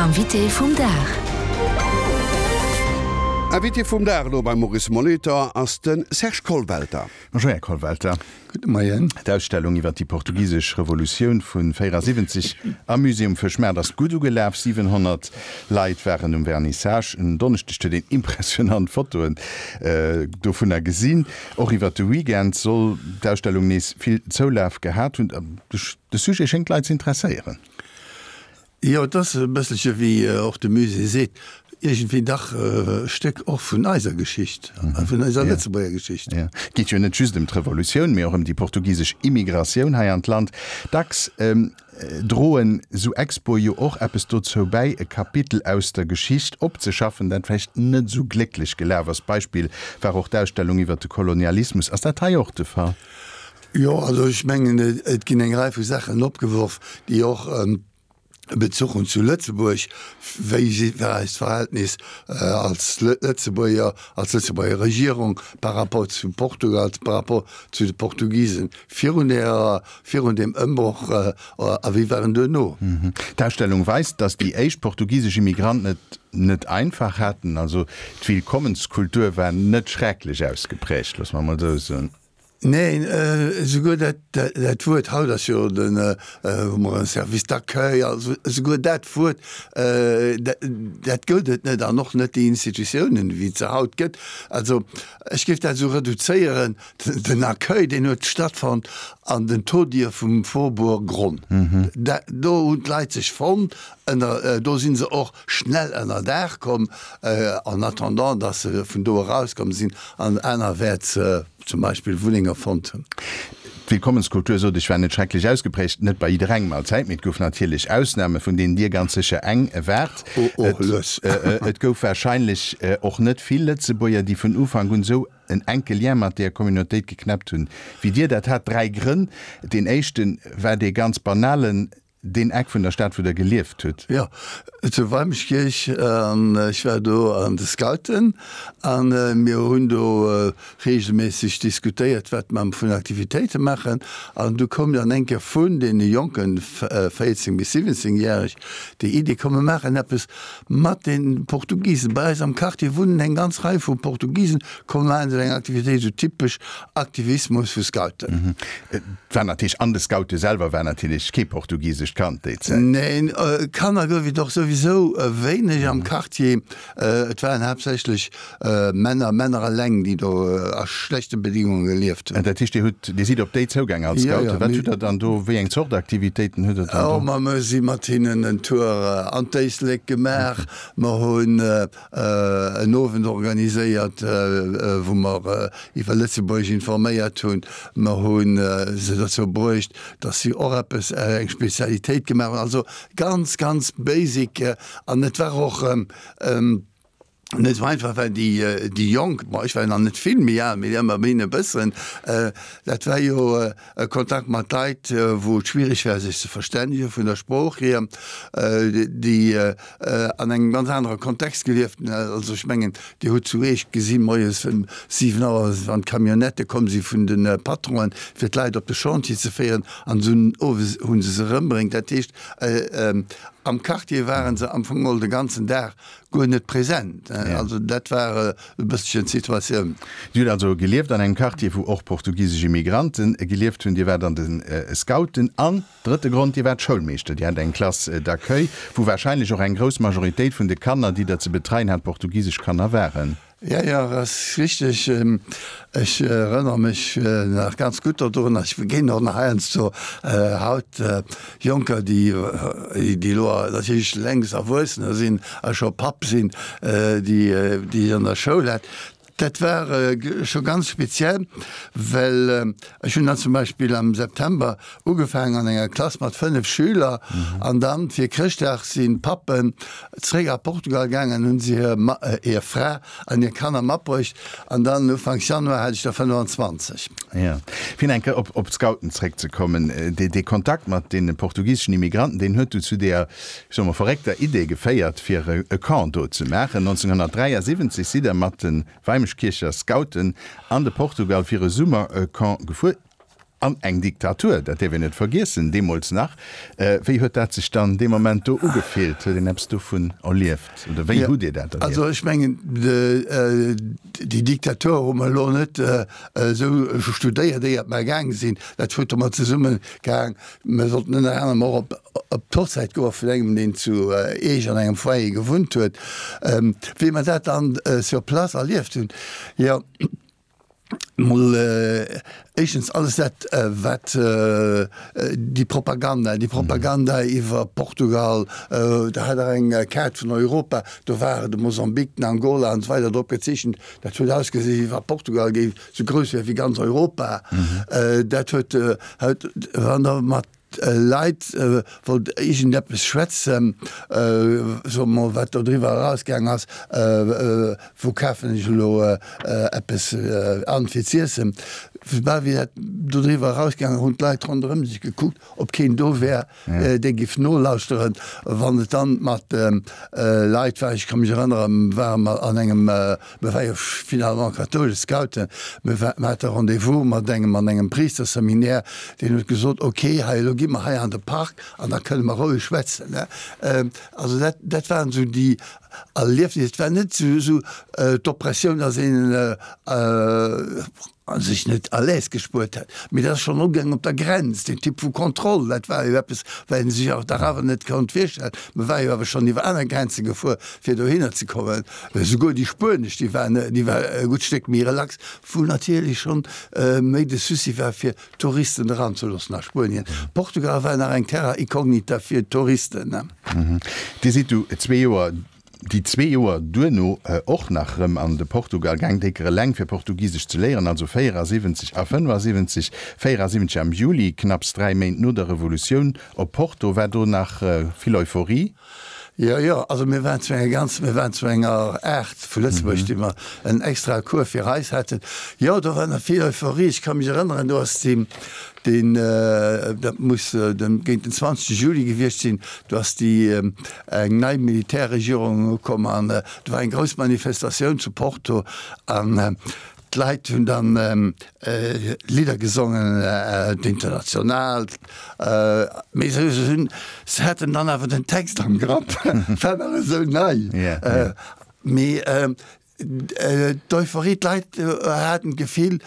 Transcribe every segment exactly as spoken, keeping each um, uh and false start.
Invité vum Dag. Invité vum Dag elo beim Maurice Molitor ass de Serge Kollwelter. Bonjour Här Kollwelter. Gudde Moien. D'Ausstellung iwwer déi portugisesch Revolutioun vu véierasiwwenzeg am Musée um Fëschmaart ass gutt ugelaf. siwenhonnert Leit waren um Vernissage. En Donneschdeg huet een impressionant Fotoen dovunner gesinn. Och iwwer de Weekend soll d'Ausstellung nees vill Zoulaf gehat hunn. De Sujet schéngt d'Leit ze interesséieren. Jo, et ass e bësselche wéi och de Musée seet, iergendwéi dach e Stéck och vun eiser Geschicht, vun eiser Lëtzebuerger Geschicht. Jo, et geet jo net just ëm d'Revolutioun, mee och ëm déi portugisesch Immigratioun hei an d'Land. Dacks droen esou Expoe jo och eppes dozou bäi, e Kapitel aus der Geschicht opzeschaffen, dat vläicht net esou glécklech gelaf ass. Beispill war och d'Ausstellung iwwer de Kolonialismus. Ass dat hei och de Fall? Jo, also ech mengen, et ginn eng Rei vu Saachen opgeworf, déi och e Bezuch hunn zu Lëtzebuerg. Wéi war eist Verhältnis als Lëtzebuerger, als Lëtzebuerger Regierung par rapport zu Portugal, par rapport zu de Portugisen virun der, virun deem Ëmbroch a wéi war en duerno? D'Ausstellung weist, datt déi éischt portugisesch Immigranten et net einfach haten. Also d'Willkommenskultur war net schrecklech ausgeprägt, loosse mer emol esou soen. Neen, esouguer dat, dat Wuert, haut ass jo den, hu mer e Service d'accueil, also esouguer dat Wuert, dat, dat gëllt et net an och net déi Institutiounen, wéi et se haut gëtt. Also ech géif dat esou reduzéieren, den Accueil, deen huet stattfonnt an den Todier vum Faubourg Gronn. Dat, do hunn d'Leit sech fonnt, ënner, do si se och schnell ënner Daach komm, en attendant, dass se vun do erauskomm sinn an anerwäerts zum Beispill Wunnenge fonnt hunn. D'Willkommenskultur, sot ech, war net schrecklech ausgeprägt, net bei jidderengem allzäit, mee et gouf natierlech Ausname, vun deenen Dir ganz sécher eng waart. Oh, oh, lues. Et gouf warscheinlech och net vill Lëtzebuerger, déi vun Ufank un esou en enke Lien mat deeër Communautéit geknäppt hunn, wéi Dir dat hat. Dräi Grënn. Deen éischte war dee ganz banalen, Deen Eck vun der Stad, wou Der gelieft hutt? Jo, zu Weimeschkierch. An ech war do an de Scouten a mir hunn do reegelméisseg diskutéiert, wat mer vun Aktivitéite maachen. An du koum dann eng Kéier vun deene Jonken, véierzéng bis siwwenzéngjäreg, déi Idee, komm mer maachen eppes mat de Portugisen. Bei eis am Quartier wunnen eng ganz Rei vu Portugisen, komm mer maachen esou eng Aktivitéit, esou typesch Aktivismus vu Scouten. Et war natierlech, an de Scoute selwer war natierlech kee portugisescht Kand déi Zäit. Neen, Kanner gouf et och souwisou wéineg am Quartier. Et waren haaptsächlech Männer, Männer eleng, déi do a schlechte Bedingunge gelieft hunn. Dat heescht, Dir hutt, Dir sidd op déi zougaang als Scoute. Wat hutt Der dann do, wéi eng Zort Aktivitéiten hutt Der dann do? Oh, ma mer si mat hinnen en Tour an d'Éislek gemaach. Mer hunn en Owend organiséiert, wou mer iwwer Lëtzebuerg informéiert hunn. Mer hu se dozou bruecht, dass si och eppes, eng Spezialitéit gemaach hunn. Also ganz, ganz basic. An et war och net esou einfach, well déi, déi Jonk, bon, ech war jo nach net vill méi al, mee ëmmerhin e bëssen, dat war jo e Kontakt mat Leit, wou et schwierig war, sech ze verstännegen vun der Sprooch hier, déi an engem ganz anere Kontext gelieft hunn. Also ech mengen, Dir hutt zu Eech gesi moies ëm siwen Auer, wann d'Camionnettë komm si vun de Patronen, fir d'Leit op de Chantier ze féieren, an dunn owes hu se se erëmbréngt. Dat heescht, am Quartier ware se am Fong geholl de ganzen Dag guer net present. Also dat war e bësselchen d'Situatioun. Dir hutt also gelieft an engem Quartier, wou och portugisesch Immigranten gelieft hunn. Dir waart an de Scouten an, drëtte Grond, Dir waart Schoulmeeschter. Dir hat eng Classe d'accueil, wou warscheinlech och eng grouss Majoritéit vun de Kanner, déi Der ze betreien hat, portugisesch Kanner waren. Jo, jo, ass richteg. Ech erënnere mech nach ganz gutt dodrun. Ech begéinen och nach heiansdo haut Jonker, déi, déi elo natierlech längst Erwuessener sinn a scho Papp sinn, déi, déi ech an der Schoul hat. Dat war scho ganz speziell, well ech hunn dann zum Beispill am September ugefaangen an enger Klass mat fënnef Schüler an dann fir Chrëschtdag sinn d'Pappen zréck a Portugal gaangen an hunn se hir hir Fra an hir Kanner matbruecht an dann Ufanks Januar hat ech der fënnefanzwanzeg. Jo. Fir eng Kéier op op d'Scouten zréckzekommen, dee dee Kontakt mat deene portugiseschen Immigranten, deen huet du zu deeër, ech soe mol, verréckter Idee geféiert, fir e Camp do ze maachen. nonzénghonnertdräiasiwwenzeg sidd Der mat de Weimeschkiercher Scouten an de Portugal fir e Summercamp gefuer. An eng Diktatur, dat däerf een net vergiessen, deemools nach. Wéi huet dat sech dann dee Moment do ugefillt? Huet een eppes dovun erlieft oder wéi hutt Dir dat erlieft? Also ech mengen, déi Diktatur hu mer elo net esou studéiert, éiert mer gaange sinn. Dat huet domat zesummegehaang, mer sollten ënner anerem och op op d'Hochzäit goe vun engem, deen zu Eech an engem Foyer gewunnt huet. Wéi mer dat dann sur place erlieft hunn, jo, Mol éischtens alles dat, wat déi Propaganda, déi Propaganda iwwer Portugal, da hat Der eng Kaart vun Europa, do war de Mosambik, den Angola an esou weider drop gezeechent. Dat huet ausgesi wéi wa Portugal géif esou grouss wär wéi ganz Europa. Dat huet, wann Der mat Leit wollt iergendeppes schwätzen, soe mol, wat do driwwer erausgaang ass, wou kafen ech elo eppes an fir z'iessen. Soubal wéi dat do driwwer erausgaang ass, hunn d'Leit ronderëm sech gekuckt, ob keen do wär, dee giff nolauschteren. Wann et dann mat Leit war, ech ka mech erënneren, ware mer an engem, mir ware jo finalement kathoulesch Scouten, mir hate Rendez-vous mat engem an engem Priisterseminär, Deen huet gesot, ok, hei elo gi mer hei an de Park an da kënne mer roueg schwätzen. Also dat, dat waren esou déi Erliefnisser. Et war net esou d'Oppressioun, datt een sech net à l'aise gespuert hätt, mee dat ass schonn ugaangen op der Grenz, deen Typ vu Kontroll, dat war jo eppes, wat ee sech och dach awer net konnt virstellen. Mer ware jo awer schonn iwwer aner Grenze gefuer, fir dohinner ze kommen. Esouguer déi spuenesch, déi waren, déi war e gutt Stéck méi relax, wou natierlech schonn méi de Souci war, fir Touristen eranzeloossen a Spuenien. Portugal war nach eng Terra incognita fir Touristen. Dir sidd du zwee Joer, déi zwee Joer duerno och nach rëm an de Portugal gaang, décker eleng fir Portugisesch ze léieren, also véierasiwwenzeg a fënnefasiwwenzeg. Véierasiwwenzeg am Juli, knapps dräi Méint no der Revolutioun, op Porto. War do nach vill Euphorie? Jo, jo, also mir waren zu enger ganz, mir waren zu enger Aart vu Lëtzebuerg, déi mer en extrae Cours fir eis haten. Jo, do war nach vill Euphorie. Ech ka mech erënneren, do ass deen, deen, dat muss den, géint den zwanzegste Juli gewiescht sinn, do ass déi eng nei Militärregierung ukomm an do war eng grouss Manifestatioun zu Porto an D'Leit hunn dann Lidder gesongen, d'Internationale, mee se hunn, se haten dann awer den Text am Grapp, war nach esou nei. Mee d'Euphorie, d'Leit haten d'Gefill,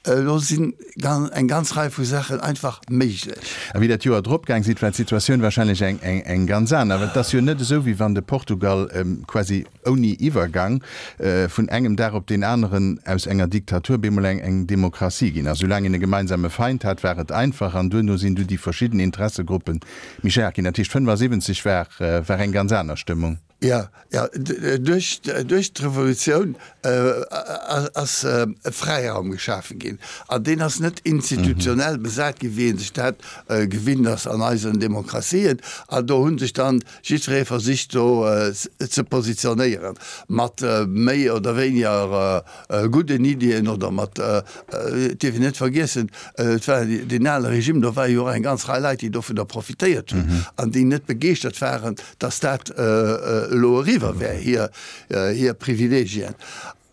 elo sinn eng ganz Rei vu Saachen einfach méiglech. A wéi dat Joer drop gaang sidd, war d'Situatioun wahrscheinlech eng ganz aner. Well et ass jo net esou, wéi wann de Portugal quasi ouni Iwwergang vun engem Dag op deen aneren aus enger Diktatur bemol eng Demokratie ginn ass. Soulaang een e gemeinsame Feind hat, war et einfach, an duerno sinn du déi verschidden Interessegruppe méi staark ginn. Dat heescht, fënnefasiwwenzeg war war eng ganz aner Stëmmung. Jo, jo, duerch duerch d'Revolutioun ass e Fräiraum geschafe ginn, an deen ass net institutionell besat ginn, wéi ee sech dat gewinnt ass an eisen Demokratien. An do hu sech dann jiddweree versicht do ze positionéieren, mat méi oder wéiniger gudden Iddien oder mat, et dierf een net vergiessen, et war deen ale Regime, do ware jo och eng ganz Rei Leit, déi dovunner profitéiert hunn an déi net begeeschtert waren, datt dat elo eriwwer wär, hir, hir Privilegien.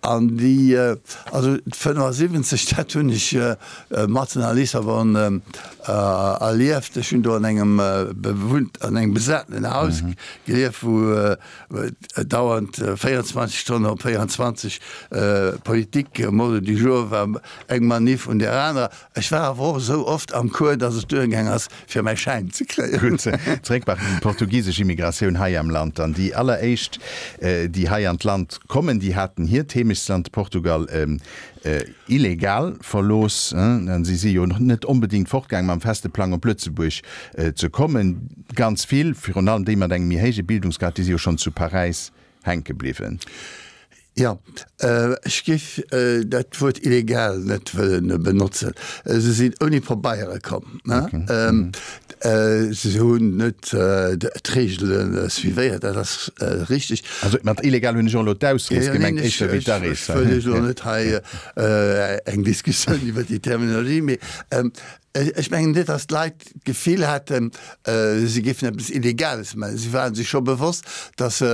An déi, also fënnefasiwwenzeg, dat hunn ech matzen a Lissabon erlieft. Ech hunn do an engem bewunnt, an engem besatenen Haus gelieft, wou dauernd véierundzwanzeg Stonnen op véierundzwanzeg Politik Mode du jour war, eng Manif un där anerer. Ech war awer och esou oft am Cours, dass et duergaang ass, fir mäi Schäin ze kréien. Gutt, zeréck bei déi portugisesch Immigratioun hei am Land dann. Déi alleréischt, déi hei an d'Land kommen, déi haten hiert Heemechtsland Portugal illegal verlooss. Si si jo net onbedéngt fortgaang mam feste Plang op Lëtzebuerg ze kommen. Ganz vill, virun allem déi mat engem méi héije Bildungsgrad, déi si jo schonn zu Paräis hänke bliwwen. Jo, ech géif dat Wuert illegal net wëllen benotzen. Se sinn ouni Pabeiere komm. Se hunn net d'Reegele suivéiert, dat ass richteg. Also mat illegal hunn ech och elo d'Ausrees gemengt, éischter wéi d'Arees. Ech wëll elo net hei eng Diskussioun iwwer déi Terminologie, mee ech mengen net, datt d'Leit d'Gefill haten, si géifen eppes Illegales maachen. Si ware sech scho bewosst, datt se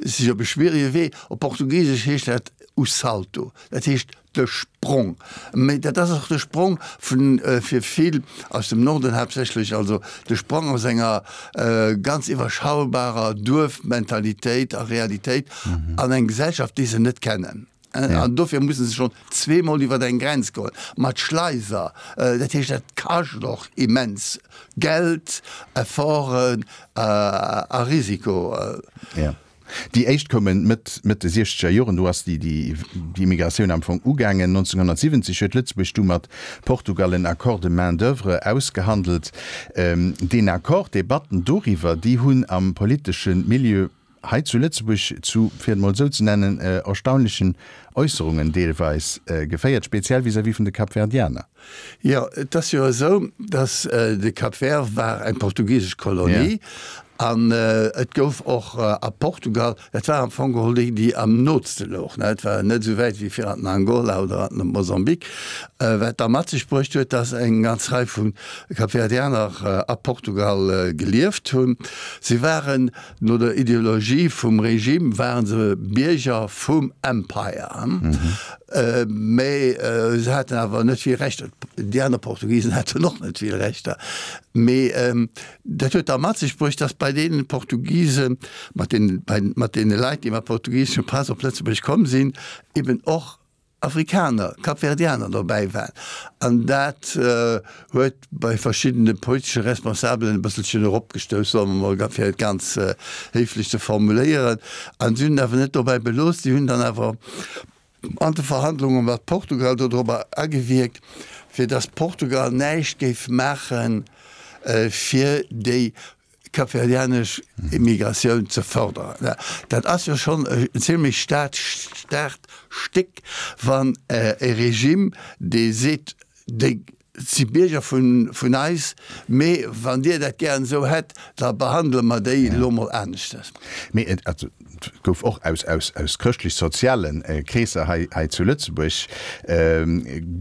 sech op e schwierige Wee, op Portugisesch heescht dat o salto, dat heescht de Sprong. Mee dat ass och de Sprong vun, fir vill aus dem Norden haaptsächlech, also de Sprong aus enger ganz iwwerschaubarer Duerfmentalitéit a Realitéit an eng Gesellschaft, déi se net kennen. An dofir musse se schonn zweemol iwwer eng Grenz goen, mat Schleiser. Dat heescht, dat kascht och immens Geld, Efforten a Risiko. Déi éischt koumen Mëtt, Mëtt de siechzeger Joren, do ass déi, déi, déi Immigratioun am Fong ugaangen. nonzénghonnertsiwwenzeg huet Lëtzebuerg du mat Portugal en Accord de main d'oeuvre ausgehandelt. Deen Accord, d'Debatten doriwwer, déi hunn am politesche Milieu hei zu Lëtzebuerg zu, fir et mol esou ze nennen, erstaunlechen Äusserungen deelweis geféiert, speziell vis-à-vis vun de Kapverdianer. Jo, et ass jo esou, datt de Cap Vert war eng portugisesch Kolonie an et gouf och a Portugal, dat war am Fong geholl déi, déi am nootste louch, et war net esou wäit wéi fir an den Angola oder an de Mosambik, wat da mat sech bruecht huet, datt eng ganz Rei vu Kapverdianer a Portugal gelieft hunn. Si waren no der Ideologie vum Regime waren se Bierger vum Empire. Mä se haten awer net vill Rechter. Déi aner Portugisen haten och net vill Rechter. Mee dat huet da mat sech bruecht, datt bei deene Portugisen, mat deenen, bei, mat deene Leit, déi mat portugiseschem Pass op Lëtzebuerg komm sinn, eben och Afrikaner, Kapverdianer dobäi waren. An dat huet bei verschiddene politesche Responsabelen e bësselchen eropgestouss, soe mer mol, fir et ganz héiflech ze formuléieren. An si hunn et awer net dobäi belooss, si hunn dann awer an de Verhandlunge mat Portugal dodrobber agewierkt, fir datt Portugal näischt géif maache fir déi kapverdianesch Immigratioun ze fërderen. Dat ass jo schonn en zimlech staarkt Stéck, wann e Regime, dee seet, déi si Bierger vun eis, mee wann Dir dat gären esou hätt, da behandele mer déi elo mol aneschtes. Mee et gouf och aus aus chrëschtlech-soziale Kreesser hei hei zu Lëtzebuerg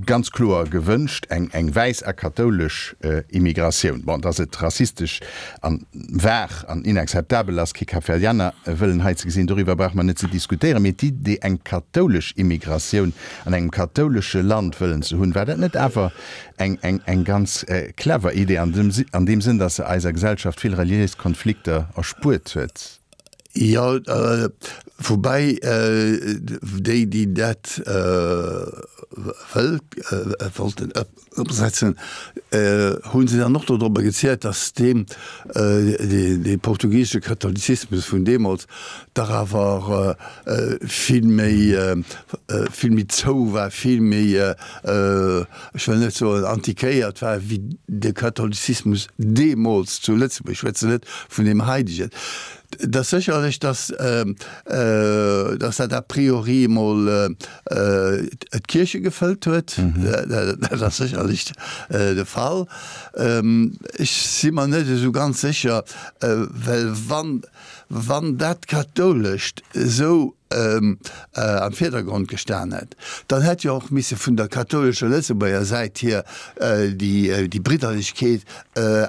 ganz kloer gewënscht, eng eng wäiss a kathoulesch Immigratioun. Bon, dass et rassistesch an war an inakzeptabel ass, kee Kapverdianer wëllen hei ze gesinn, doriwwer brauche mer net ze diskutéieren. Mee d'Idee, eng kathoulesch Immigratioun an engem kathoulesche Land wëllen ze hunn, war dat net awer eng eng eng ganz clever Idee an dem an deem Sënn, dass se eiser Gesellschaft vill reliéis Konflikter erspuert huet? Jo, woubäi déi, déi dat wëllt wollten ëmsetzen, hu se dann och dodrobber gezielt, datt deen dee portugisesche Katholizismus vun deemools dach awer vill méi vill méi zou war, vill méi, ech wëll net soen antiquéiert war, wéi de Katholizismus deemools zu Lëtzebuerg. Ech schwätzen net vun deem haidegen. Et ass sécherlech, dass, dass dat a priori emol d'Kierche gefëllt huet. Dat ass sécherlech de Fall. Ech si mer net esou ganz sécher, well wann, wann dat Kathoulescht esou am Virdergrond gestan hätt, dann hätt jo och misse vun der kathoulescher Lëtzebuerger Säit hier déi Bridderlechkeet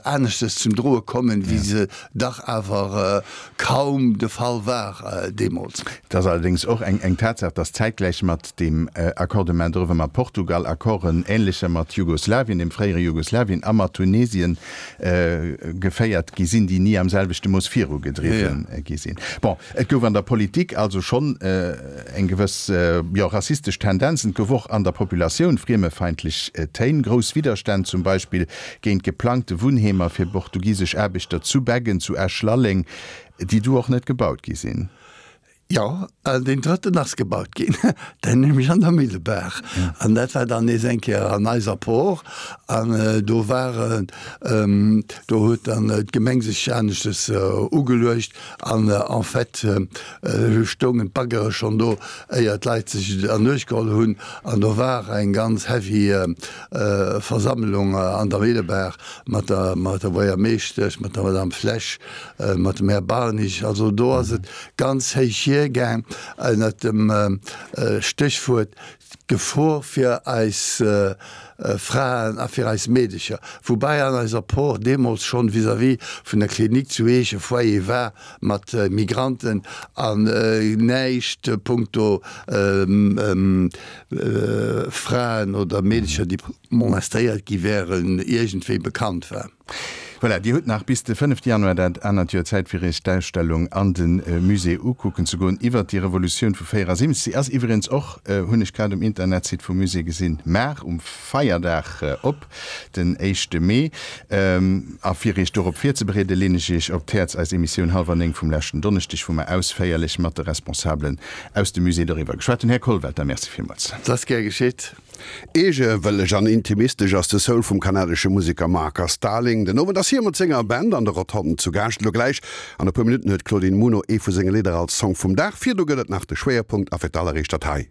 aneschtes zum Droe kommen, wéi se dach awer kaum de Fall war deemools. Et ass allerdéngs och eng Tatsaach, datt zäitgläich mat deem Accord de main-d'oeuvre mat Portugal Accorden ähnlecher mat Jugoslawien, dem fréiere Jugoslawien, a mat Tunesien geféiert gi sinn, déi ni am selwechte Mooss virugedriwwen gi sinn. Bon, et gouf an der Politik also schonn eng gewëss, jo, rassistesch Tendenzen. Et gouf och an der Populatioun friemefeindlech Téin, grouss Widderstänn zum Beispill géint geplangte Wunnheemer fir portugisesch Aarbechter zu Beggen, zu Esch-Lalleng, déi du och net gebaut gi sinn. Jo, deen drëtten ass gebaut ginn, den nämlech an der Millebaach. An dat war dann nees eng Kéier an eiser Por. An do war, do huet dann d'Gemeng sech aneschtes ugeluecht. An en fait stoungen d'Baggere schonn do, éier d'Leit sech et an Uecht geholl hunn. An do war eng ganz heavy Versammlung an der Millebaach mat der, mat der Buergermeeschtesch, mat der Madame Flesch, mat dem Här Barnich. Also do ass et ganz héich hier. virgaang ënnert dem Stéchwuert D'Gefor fir eis Fraen a fir eis Meedecher, woubäi an eiser Por deemools schonn vis-à-vis vun der Klinik zu Eech e Foyer war mat Migranten an näischt punkto Fraen oder Meedecher, déi molestéiert gi wären, iergendwéi bekannt war. Voilà, Dir hutt nach bis de fënnefte Januar dat anert Joer Zäit fir Iech d'Ausstellung an de Musée ukucken ze goen iwwert déi Revolutioun vu véierasiwwenzeg. Si ass iwwregens och, hunn ech grad um Internetsite vum Musée gesinn, mar um Feierdag op, den éischte Mee. A fir Iech dorop virzebereeden, leen ech Iech op d'Häerz eis Emissioun Hallwer néng vum leschten Donneschdeg, wou mer ausféierlech mat de Responsabelen aus dem Musée doriwwer geschwat hunn. Här Kollwelter, Merci villmools. Et ass gär geschitt. Eegewëlleg an intimistesch ass de Soul vum kanadesche Museker Marcus Darling. Den Owend ass hie mat senger Band an der Rotonde zu Gaascht. Elo gläich an e puer Minutten huet d'Claudine Muno ee vu senge Lidder als Song vum Dag. Virdu gëtt et nach de Schwéierpunkt a fir d'alleréischt dat hei.